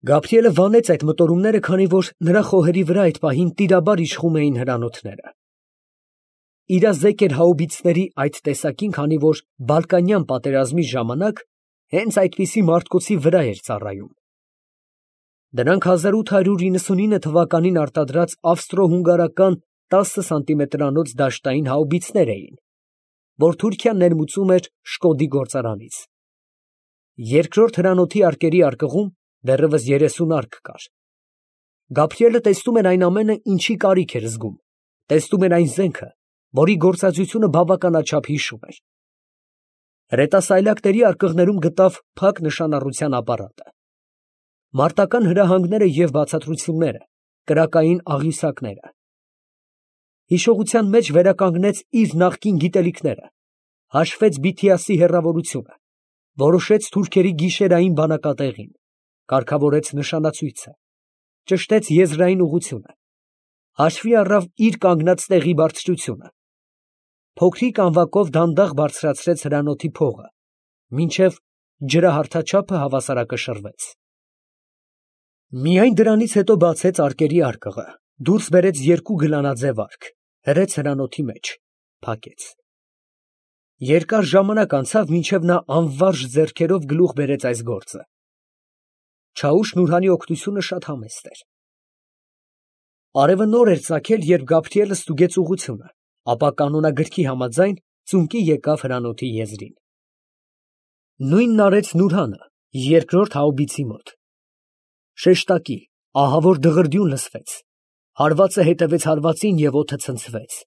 Գաբրիելը վանեց այդ մտորումները, քանի որ նրա խոհերի վրա այդ պահին տիրաբար իշխում էին հրանոթները։ Իրազեկ էր հաուբիցների այդ տեսակին, քանի որ Բալկանյան պատերազմի ժամանակ հենց այդպիսի մարդկոցի վրա էր ծառայում։ Դրանք 1899 թվականին արտադրած ավստրո֊հունգարական 10 սանտիմետրանոց դաշտային հաուբիցներ էին, որ Թուրքիան ներմուծում էր Շկոդի գործարանից։ Երկրորդ հրանոթի արկերի արկղում դեռևս 30 արկ կար։ Գաբրիելը տեսնում էր այն ամենը, ինչի կարիք էր զգում, տեսնում էր այն զենքը, որի գործածությունը բավականաչափ հիշում էր։ Հրետասայլակների արկղներում գտավ փակ նշանառության ապարատը։ Մարտական հրահանգները և բացատրությունները, կրակային աղյուսակները։ Հիշողության մեջ վերականգնեց իր նախկին գիտելիքները, հաշվեց Բիթիասի հեռավորությունը, որոշեց թուրքերի գիշերային բանակատեղին, կարգավորեց նշանացույցը, ճշտեց եզրային ուղղությունը, հաշվի առավ իր կանգնած տեղի բարձրությունը, փոքրիկ անվակով դանդաղ բարձրացրեց հրանոթի փողը, մինչև ջրահարթաչափը հավասարակշռվեց։ Միայն դրանից հետո բացեց արկերի արկղը, դուրս բերեց երկու գլանաձև արկ, հրեց հրանոթի մեջ, փակեց։ Երկար ժամանակ անցավ, մինչև նա անվարժ ձեռքերով գլուխ բերեց այս գործը։ Չաուշ֊Նուրհանի օգնությունը շատ համեստ էր։ Արևը նոր էր ծագել, երբ Գաբրիելը ստուգեց ուղղությունը, ապա կանոնագրքի համաձայն ծունկի եկավ հրանոթի եզրին։ Նույնն արեց Նուրհանը, երկրորդ հաուբիցի մոտ։ Շեշտակի, ահավոր դղրդյուն լսվեց, հարվածը հետևեց հարվածին և օդը ցնցվեց։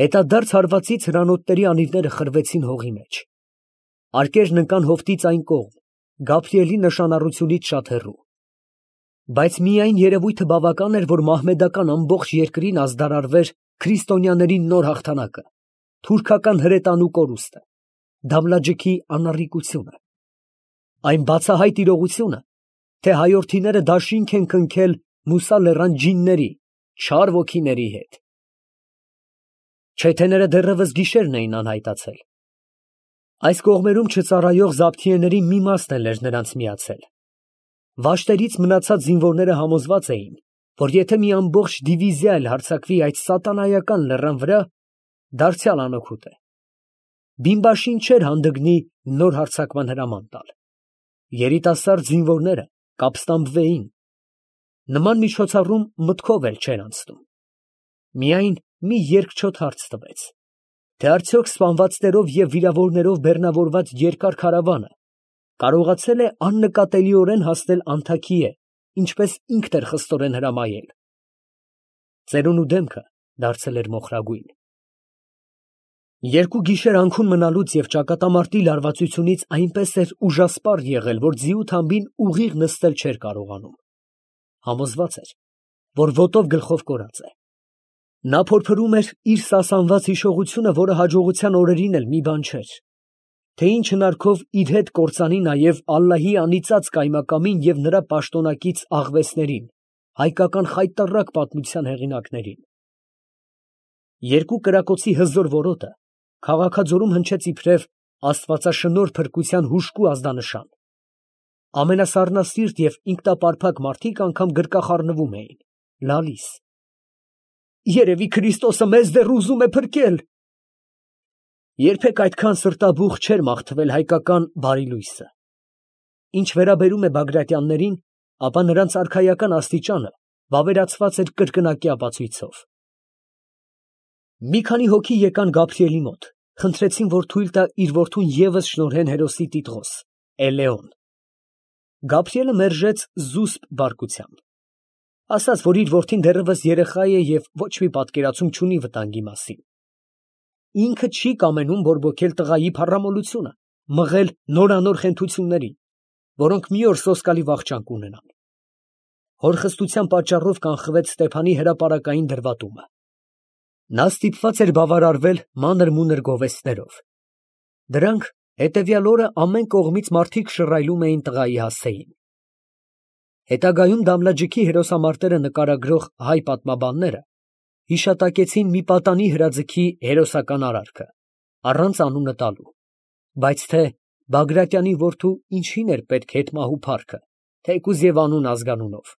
Հետադարձ հարվածից հրանոթների անիվները խրվեցին հողի մեջ։ Արկերն ընկան հովտից այն կողմ, Գաբրիելի նշանառությունից շատ հեռու։ Բայց միայն երևույթը բավական էր, որ մահմեդական ամբողջ երկրին ազդարարվեր քրիստոնյաների նոր հաղթանակը, թուրքական հրետանու կորուստը, Դամլաջիքի անառիկությունը, այն բացահայտ իրողությունը, թե հայորդիները դաշինք են քնքել Մուսա լեռան ջինների, չար ոգիների հետ։ Չեթեները դեռևս գիշերն էին անհայտացել։ Այս կողմերում չծառայող զաբթիեների մի մասն էր նրանց միացել։ Վաշտերից մնացած զինվորները համոզված էին, որ եթե մի ամբողջ դիվիզիա էլ հարձակվի այդ սատանայական լեռան վրա, դարձյալ անօգուտ է։ Բիմբաշին չէր հանդգնի նոր հարձակման հրաման տալ։ Երիտասարդ զինվորները կապստամբվեին։ Նման միջոցառում մտքով էլ չէր անցնում։ Միայն մի երկչոտ հարց տվեց, թե արդյոք սպանվածներով և վիրավորներով բեռնավորված երկար քարավանը կարողացել է աննկատելիորեն հասնել Անթաքիե, ինչպես ինքն էր խստորեն հրամայել։ Ծերունու դեմքը դարձել էր մոխրագույն։ Երկու գիշեր անքուն մնալուց և ճակատամարտի լարվածությունից այնպես էր ուժասպառ եղել, որ ձիու թամբին ուղիղ նստել չէր կարողանում։ Համոզված էր, որ ոտով գլխով կորած է։ Նա փորփրում էր իր սասանված հիշողությունը, որը հաջողության օրերին էլ մի բան չէր, թե ինչ հնարքով իր հետ կործանի նաև ալլահի անիծած կայմակամին և նրա պաշտոնակից աղվեսներին, հայկական խայտառակ պատմության հեղինակներին։ Երկու կրակոցի հզոր որոտը քաղաքաձորում հնչեց իբրև աստվածաշնորհ փրկության հուժկու ազդանշան։ Ամենասառնասիրտ և ինքնապարփակ մարդիկ անգամ գրկախառնվում էին, լալիս։ Երևի Քրիստոսը մեզ դեռ ուզում է փրկել։ Երբեք այդքան սրտաբուխ չէր մաղթվել հայկական բարի լույսը։ Ինչ վերաբերում է Բագրատյաններին, ապա նրանց արքայական աստիճանը վավերացված էր կրկնակի ապացույցով։ Մի քանի հոգի եկան Գաբրիելի մոտ, խնդրեցին, որ թույլ տա իր որդուն ևս շնորհեն հերոսի տիտղոս, Էլեոն։ Գաբրիելը մերժեց զուսպ բարկությամբ։ Ասաց, որ իր որդին դեռևս երեխա է և ոչ մի պատկերացում չունի վտանգի մասին։ Ինքը չի կամենում բորբոքել տղայի փառամոլությունը, մղել նորանոր խենթություններին, որոնք մի օր սոսկալի վախճան կունենան։ Հորխստության պատճառով կանխվեց Ստեփանի հրապարակային դրվատումը։ Նա ստիպված էր բավարարվել մանր֊մունր գովեստներով։ Դրանք հետևյալ օրը ամեն կողմից մարդիկ շռայլում էին տղայի հասցեին։ Հետագայում Դամլաջիքի հերոսամարտերը նկարագրող հայ պատմաբանները հիշատակեցին մի պատանի հրաձգի հերոսական արարքը, առանց անունը տալու, բայց թե Բագրատյանի որդու ինչին էր պետք հետմահու փառքը, թեկուզ եւ անուն ազգանունով։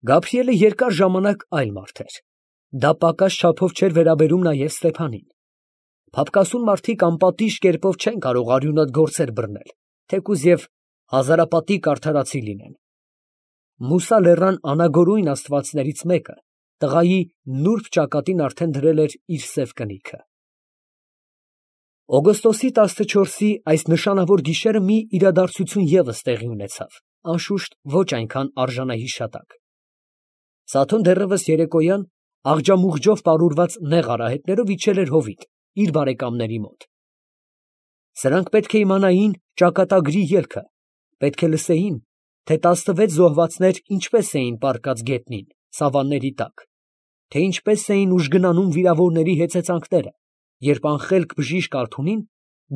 Գաբրիելը երկար ժամանակ այլ մարդ էր։ Դա պակաս չափով չէր վերաբերում նաև Ստեփանին։ Փափկասուն մարդիկ անպատիժ կերպով չեն կարող արյունոտ գործեր բռնել, թեկուզ եւ հազարապատիկ արդարացի լինեն։ Մուսա լեռան անագորույն աստվածներից մեկը տղայի նուրբ ճակատին արդեն դրել էր իր սև կնիքը։ Օգոստոսի 14-ի այս նշանավոր գիշերը մի իրադարձություն ևս տեղի ունեցավ, անշուշտ ոչ այնքան արժանահիշատակ։ Սաթոն դեռևս երեկոյան աղջամուղջով պարուրված նեղ արահետներով իջել էր հովիտ իր բարեկամների մոտ։ Սրանք պետք է իմանային ճակատագրի ելքը, պետք է լսեին, թե 16 զոհվածներ ինչպես էին պառկած գետնին, սավանների տակ, թե ինչպես էին ուժգնանում վիրավորների հեծեծանքները, երբ անխելք բժիշկ Ալթունին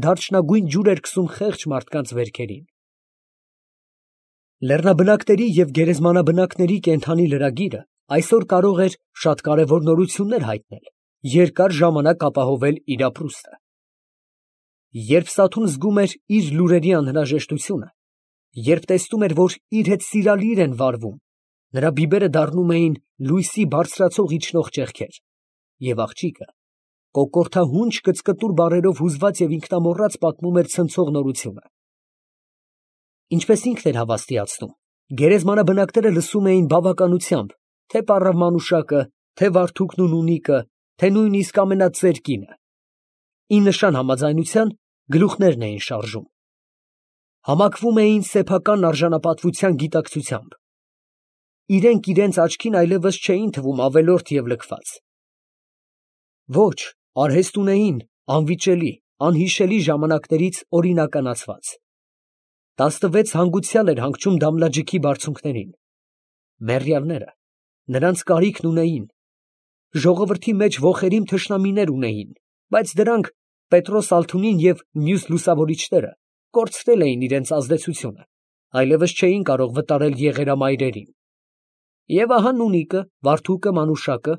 դարչնագույն ջուր էր քսում խեղճ մարդկանց վերքերին։ Լեռնաբնակների և գերեզմանաբնակների կենդանի լրագիրը այսօր կարող էր շատ կարևոր նորություններ հայտնել, երկար ժամանակ ապահովել իր ապրուստը։ Երբ Սաթուն զգում էր իր լուրերի անհրաժեշտությունը, երբ տեսնում էր, որ իր հետ սիրալիր են վարվում, նրա բիբերը դառնում էին լույսի բարձրացող իջնող ճեղքեր, և աղջիկը կոկորդահունչ կծկտուր բառերով հուզված և ինքնամոռաց պատմում էր ցնցող նորությունը։ Ինչպես ինքն էր հավաստիացնում, գերեզմանաբնակները լսում էին բավականությամբ թե պառավ Մանուշակը, թե Վարդուկն ու Նունիկը, թե նույնիսկ ամենածեր կինը։ Ի նշան համաձայնության գլուխներն էին շարժում։ Համակվում էին սեփական արժանապատվության գիտակցությամբ։ Իրենք իրենց աչքին այլևս չէին թվում ավելորդ և լքված։ Ոչ, արհեստ ունեին անվիճելի, անհիշելի ժամանակներից օրինականացված։ 16 հանգուցյալ էր հանգչում Դամլաջիքի բարձունքներին։ Մեռյալները նրանց կարիքն ունեին։ Ժողովրդի մեջ ոխերիմ թշնամիներ ունեին, բայց դրանք Պետրոս Ալթունին և մյուս լուսավորիչները կորցրել էին իրենց ազդեցությունը, այլևս չէին կարող վտարել եղերամայրերին։ Եվ ահա Նունիկը, Վարդուկը, Մանուշակը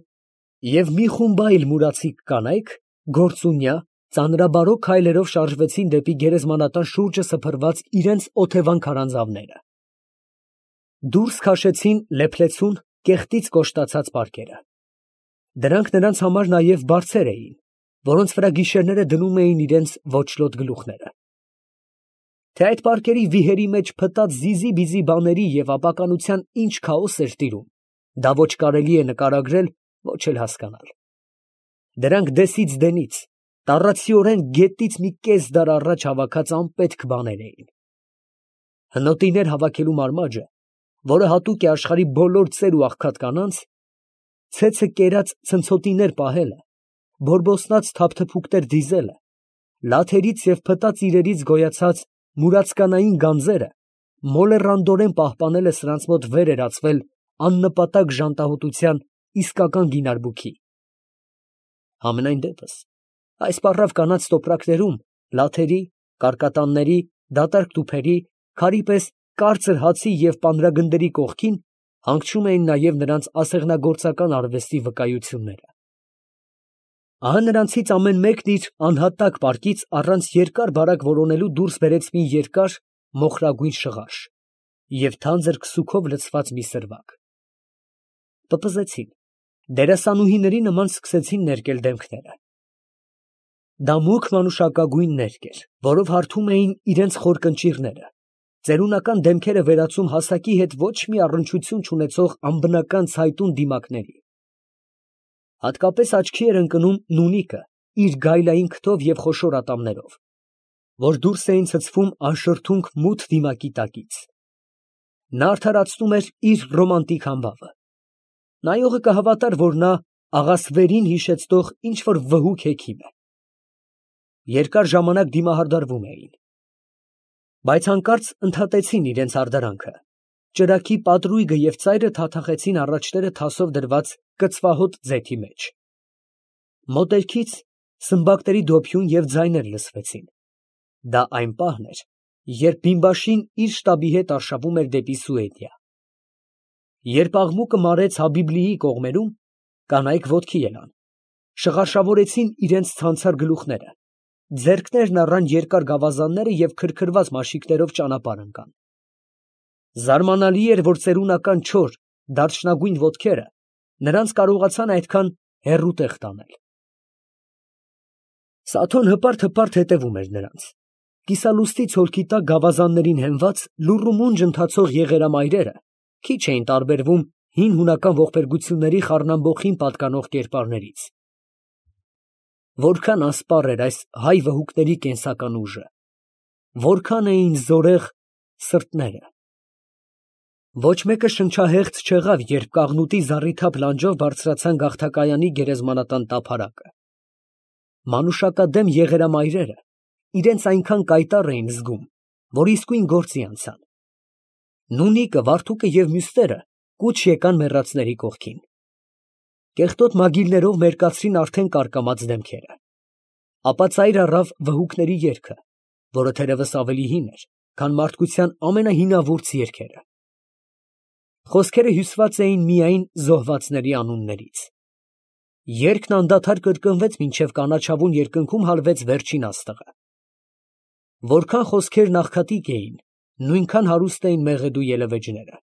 և մի խումբ այլ մուրացիկ կանայք գործունյա, ծանրաբարո քայլերով շարժվեցին դեպի գերեզմանատան շուրջը սփռված իրենց օթևան քարանձավները։ Դուրս քաշեցին լեփլեցուն կեղտից կոշտացած պարկերը։ Դրանք նրանց համար նաև բարձեր էին, որոնց վրա գիշերները դնում էին իրենց ոճլոտ գլուխները։ Թե այդ պարկերի վիհերի մեջ փտած զիզի-բիզի բաների և ապականության ինչ քաոս էր տիրում, դա ոչ կարելի է նկարագրել, ոչ էլ հասկանալ։ Դրանք դեսից դենից, տառացիորեն գետից մի կես դար առաջ հավաքած անպետք բաներ էին։ Հնոտիներ հավաքելու մարմաջը, որը հատուկ է աշխարհի բոլոր ծեր ու աղքատ կանանց, ցեցը կերած ցնցոտիներ պահելը, բորբոսնած թափթփուկներ դիզելը, լաթերից և փտած իրերից գոյացած մուրացկանային գանձերը մոլեռանդորեն պահպանելը սրանց մոտ վեր էր ածվել աննպատակ ժանտահոտության իսկական գինարբուքի։ Համենայն դեպս, այս պառավ կանանց տոպրակներում լաթերի, կարկատանների, դատարկ տուփերի, քարի պես կարծր հացի և պանրագնդերի կողքին հանգչում էին նաև նրանց ասեղնագործական արվեստի վկայությունները։ Ահա նրանցից ամեն մեկն իր անհատակ պարկից առանց երկար֊բարակ որոնելու դուրս բերեց մի երկար մոխրագույն շղարշ և թանձր քսուքով լցված մի սրվակ։ Պպզեցին, դերասանուհիների նման սկսեցին ներկել դեմքները։ Դա մուգ մանուշակագույն ներկ էր, որով հարթում էին իրենց խոր կնճիռները, ծերունական դեմքերը վերածում հասակի հետ ոչ մի առնչություն չունեցող անբնական ցայտուն դիմակների։ Հատկապես աչքի էր ընկնում Նունիկը իր գայլային քթով և խոշոր ատամներով, որ դուրս էին ցցվում անշրթունք մութ դիմակի տակից։ Նա արդարացնում էր իր ռոմանտիկ համբավը։ Նայողը կհավատար, որ նա աղասվերին հիշեցնող ինչ֊որ վհուկ հեքիմ է։ Երկար ժամանակ դիմահարդարվում էին, բայց հանկարծ ընդհատեցին իրենց հարդարանքը։ Ճրագի պատրույգը և ծայրը թաթախեցին առաջները թասով դրված կծվահոտ ձեթի մեջ։ Մոտերքից սմբակների դոփյուն և ձայներ լսվեցին։ Դա այն պահն էր, երբ բիմբաշին իր շտաբի հետ արշավում էր դեպի Սուեդիա։ Երբ աղմուկը մարեց Հաբիբլիի կողմերում, կանայք ոտքի ելան, շղարշավորեցին իրենց ցանցար գլուխները, ձեռքներն առան երկար գավազանները և քրքրված մաշիկներով ճանապարհ ընկան։ Զարմանալի էր, որ ծերունական չոր, դարչնագույն ոտքերը նրանց կարողացան այդքան հեռու տեղ տանել։ Սաթոն հպարտ հետևում էր նրանց։ Կիսալուստի ցոլքի տակ գավազաններին հենված լուռ ու մունջ ընթացող եղերամայրերը քիչ էին տարբերվում հին հունական ողբերգությունների խառնամբոխին պատկանող կերպարներից։ Որքան ասպառ էր այս հայ վհուկների կենսական ուժը, որքան էին զորեղ սրտները։ Ոչ մեկը շնչահեղձ չեղավ, երբ կաղնուտի զառիթափ լանջով բարձրացան գաղթակայանի գերեզմանատան տափարակը։ Մանուշակադեմ եղերամայրերը իրենց այնքան կայտառ էին զգում, որ իսկույն գործի անցան։ Նունիկը, Վարդուկը և մյուսները կուչ եկան մեռածների կողքին։ Կեղտոտ մագիլներով մերկացրին արդեն կարկամած դեմքերը։ Ապա ծայր առավ վհուկների երգը, որը թերևս ավելի հին էր, քան մարդկության ամենահինավուրց երգերը։ Խոսքերը հյուսված էին միայն զոհվածների անուններից։ Երգն անդադար կրկնվեց, մինչև կանաչավուն երկնքում հալվեց վերջին աստղը։ Որքան խոսքերն աղքատիկ էին, նույնքան հարուստ էին մեղեդու ելևէջները։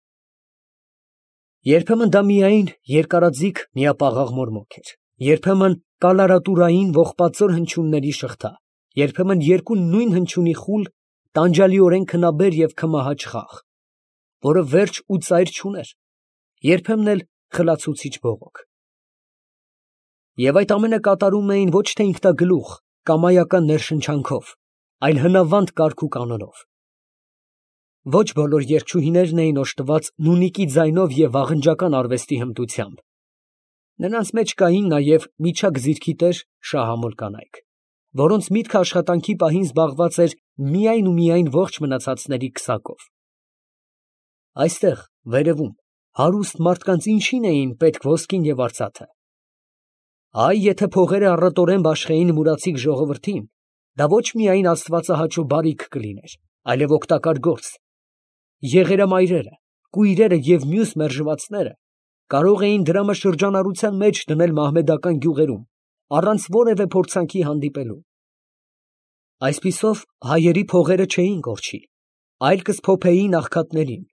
Երբեմն դա միայն երկարաձիգ միապաղաղ մորմոք էր, երբեմն կալարատուրային ողբածոր հնչյունների շղթա, երբեմն երկու նույն հնչյունի խուլ, տանջալիորեն քնաբեր և քմահաճ խաղ, որը վերջ ու ծայր չուներ, երբեմն էլ խլացուցիչ բողոք։ Եվ այդ ամենը կատարում էին ոչ թե ինքնագլուխ, կամայական ներշնչանքով, այլ հնավանդ կարգ ու կանոնով։ Ոչ բոլոր երգչուհիներն էին օժտված նունիկի ձայնով և վաղնջական արվեստի հմտությամբ։ Նրանց մեջ կային նաև միջակ ձիրքի տեր շահամոլ կանայք, որոնց միտքը աշխատանքի պահին զբաղված էր միայն ու միայն ողջ մնացածների քսակով։ Այստեղ, վերևում, հարուստ մարդկանց ինչին էին պետք ոսկին և արծաթը։ Այ, եթե փողերը առատորեն բաշխեին մուրացիկ ժողովրդին, դա ոչ միայն աստվածահաճո բարիք կլիներ, այլև օգտակար գործ։ Եղերամայրերը, կույրերը և մյուս մերժվածները կարող էին դրամաշրջանառության մեջ դնել մահմեդական գյուղերում, առանց որևէ փորձանքի հանդիպելու։ Այսպիսով, հայերի փողերը չէին կորչի, այլ կսփոփեին աղքատներին,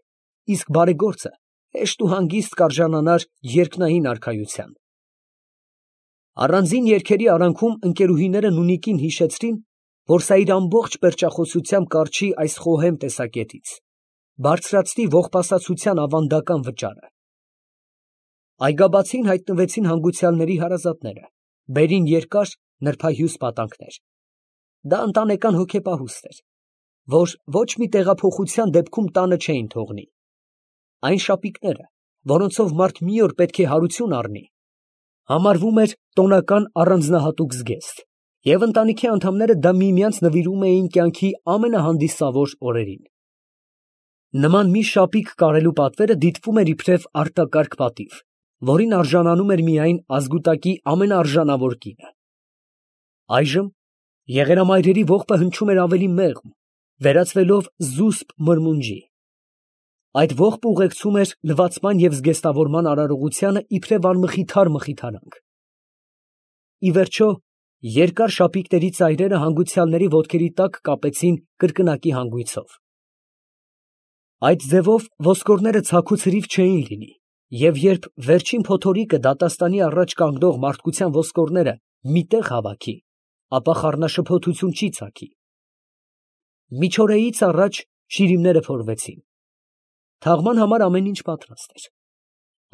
իսկ բարեգործը հեշտ ու հանգիստ կարժանանար երկնային արքայության։ Առանձին երգերի արանքում ընկերուհիները նունիկին հիշեցրին, որ սա իր ամբողջ պերճախոսությամբ կառչի այս խոհեմ տեսակետից, բարձրացնի ողբասացության ավանդական վճարը։ Այգաբացին հայտնվեցին հանգուցյալների հարազատները, բերին երկար, նրբահյուս պատանքներ։ Դա ընտանեկան հոգեպահուստ էր, որ ոչ մի տեղափոխության դեպքում տանը չէին թողնի։ Այն շապիկները, որոնցով մարդ մի օր պետք է հարություն առնի, համարվում էր տոնական առանձնահատուկ զգեստ, և ընտանիքի անդամները դա միմյանց նվիրում էին կյանքի ամենահանդիսավոր օրերին։ Նման մի շապիկ կարելու պատվերը դիտվում էր իբրև արտակարգ պատիվ, որին արժանանում էր միայն ազգուտակի ամենաարժանավոր կինը։ Այժմ եղերամայրերի ողբը հնչում էր ավելի մեղմ, վերածվելով զուսպ մրմունջի։ Այդ ողբը ուղեկցում էր լվացման և զգեստավորման արարողությանը իբրև անմխիթար մխիթարանք։ Ի վերջո, երկար շապիկների ծայրերը հանգուցյալների ոտքերի տակ կապեցին կրկնակի հանգույցով։ Այդ ձևով ոսկորները ցաք ու ցրիվ չէին լինի, և երբ վերջին փոթորիկը դատաստանի առաջ կանգնող մարդկության ոսկորները մի տեղ հավաքի, ապա խառնաշփոթություն չի ծագի։ Միջօրեից առաջ շիրիմները փորվեցին։ Թաղման համար ամեն ինչ պատրաստ էր։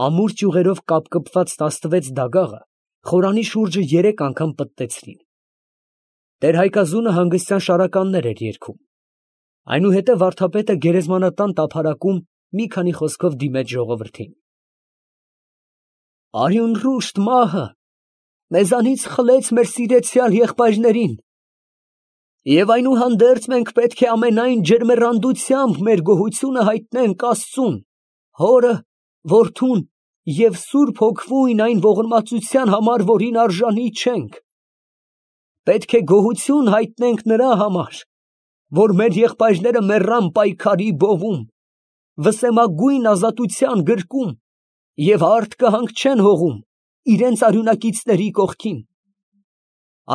Ամուր ճյուղերով կապկպված 16 դագաղը խորանի շուրջը 3 անգամ պտտեցրին։ Տեր֊Հայկազունը հանգստյան շարականներ էր երգում։ Այնուհետև վարդապետը գերեզմանատան տափարակում մի քանի խոսքով դիմեց ժողովրդին. «Արյունռուշտ մահը մեզանից խլեց մեր սիրեցյալ եղբայրներին, և այնուհանդերձ մենք պետք է ամենայն ջերմեռանդությամբ մեր գոհությունը հայտնենք Աստծուն, Հորը, Որդուն և Սուրբ Հոգվույն այն ողորմածության համար, որին արժանի չենք։ Պետք է գոհություն հայտնենք նրա համար, որ մեր եղբայրները մեռան պայքարի բովում, վսեմագույն ազատության գրկում և արդ կհանգչեն հողում իրենց արյունակիցների կողքին։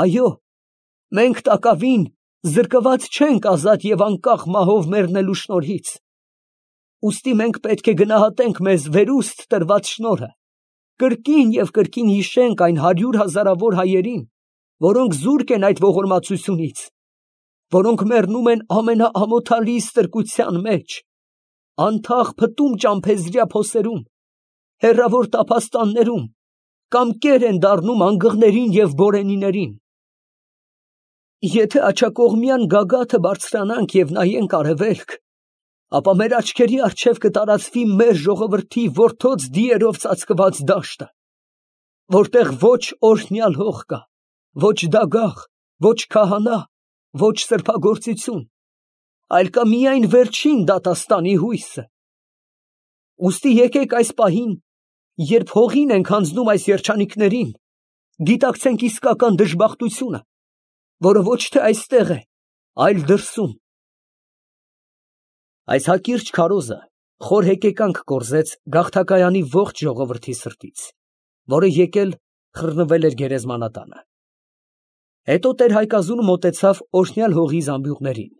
Այո, մենք տակավին զրկված չենք ազատ և անկախ մահով մեռնելու շնորհից։ Ուստի մենք պետք է գնահատենք մեզ վերուստ տրված շնորհը, կրկին և կրկին հիշենք այն 100,000-ավոր հայերին, որոնք զուրկ են այդ ողորմածությունից, որոնք մեռնում են ամենաամոթալի ստրկության մեջ, անթաղ փտում ճամփեզրյա փոսերում, հեռավոր տափաստաններում, կամ կեր են դառնում անգղներին և բորենիներին։ Եթե աջակողմյան գագաթը բարձրանանք և նայենք արևելք, ապա մեր աչքերի առջև կտարածվի մեր ժողովրդի որդոց դիերով ծածկված դաշտը, որտեղ ոչ օրհնյալ հող կա, ոչ դագաղ, ոչ քահանա, ոչ սրբագործություն, այլ կա միայն վերջին դատաստանի հույսը։ Ուստի եկեք այս պահին, երբ հողին ենք հանձնում այս երջանիկներին, գիտակցենք իսկական դժբախտությունը, որը ոչ թե այստեղ է, այլ դրսում։ Այս հակիրճ քարոզը խոր հեկեկանք կորզեց գաղթակայանի ողջ ժողովրդի սրտից, որը եկել խռնվել էր գերեզմանատանը։ Հետո տեր-Հայկազունը մոտեցավ օրհնյալ հողի զամբյուղներին,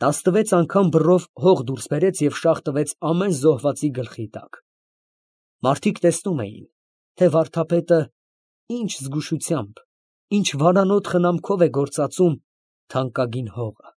16 անգամ բռով հող դուրս բերեց և շաղ տվեց ամեն զոհվածի գլխի տակ։ Մարդիկ տեսնում էին, թե վարդապետը ինչ զգուշությամբ, ինչ վարանոտ խնամքով է գործածում թանկագին հողը։